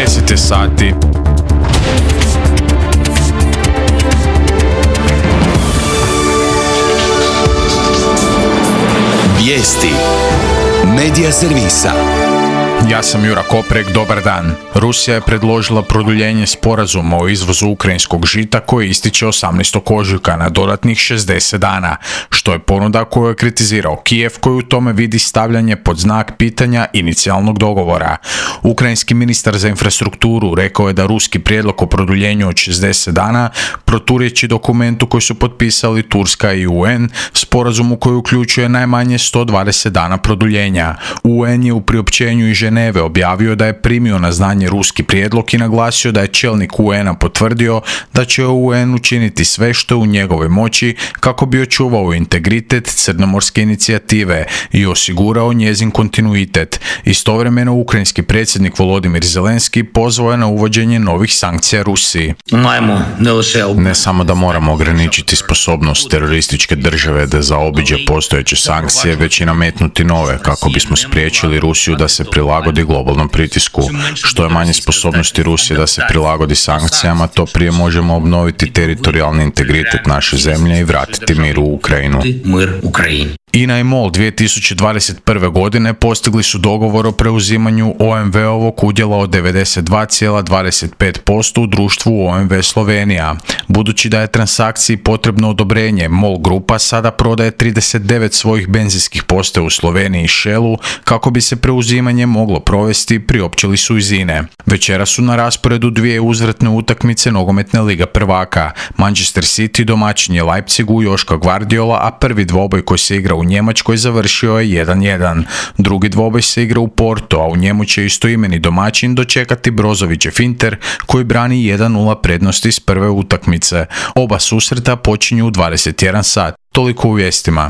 10 je sati. Vijesti Medija servisa. Ja sam Jura Koprek, dobar dan. Rusija je predložila produljenje sporazuma o izvozu ukrajinskog žita koji ističe 18. ožujka na dodatnih 60 dana, što je ponuda koju je kritizirao Kijev, koji u tome vidi stavljanje pod znak pitanja inicijalnog dogovora. Ukrajinski ministar za infrastrukturu rekao je da ruski prijedlog o produljenju od 60 dana proturječi dokumentu koji su potpisali Turska i UN, sporazumu koji uključuje najmanje 120 dana produljenja. UN je u priopćenju iz Ženeve objavio da je primio na znanje ruski prijedlog i naglasio da je čelnik UN-a potvrdio da će UN učiniti sve što je u njegovoj moći kako bi očuvao integritet crnomorske inicijative i osigurao njezin kontinuitet. Istovremeno, ukrajinski predsjednik Volodimir Zelenski pozvao je na uvođenje novih sankcija Rusiji. Ne samo da moramo ograničiti sposobnost terorističke države da zaobiđe postojeće sankcije, već i nametnuti nove kako bismo spriječili Rusiju da se prilagodi globalnom pritisku. Što je manje sposobnosti Rusije da se prilagodi sankcijama, to prije možemo obnoviti teritorijalni integritet naše zemlje i vratiti mir u Ukrajinu. INA i MOL 2021. godine postigli su dogovor o preuzimanju OMV-ovog udjela od 92,25% u društvu OMV Slovenija. Budući da je transakciji potrebno odobrenje, MOL grupa sada prodaje 39 svojih benzinskih postaja u Sloveniji i Shellu kako bi se preuzimanje moglo provesti, priopćili su iz INE. Večera su na rasporedu dvije uzvratne utakmice nogometne Liga prvaka. Manchester City domaćin je Leipzigu Joška Gvardiola, a prvi dvoboj koji se igra u Njemačkoj završio je 1-1. Drugi dvoboj se igra u Porto, a u njemu će istoimeni domaćin dočekati Brozovićev Inter koji brani 1-0 prednosti iz prve utakmice. Oba susreta počinju u 21 sat. Toliko u vijestima.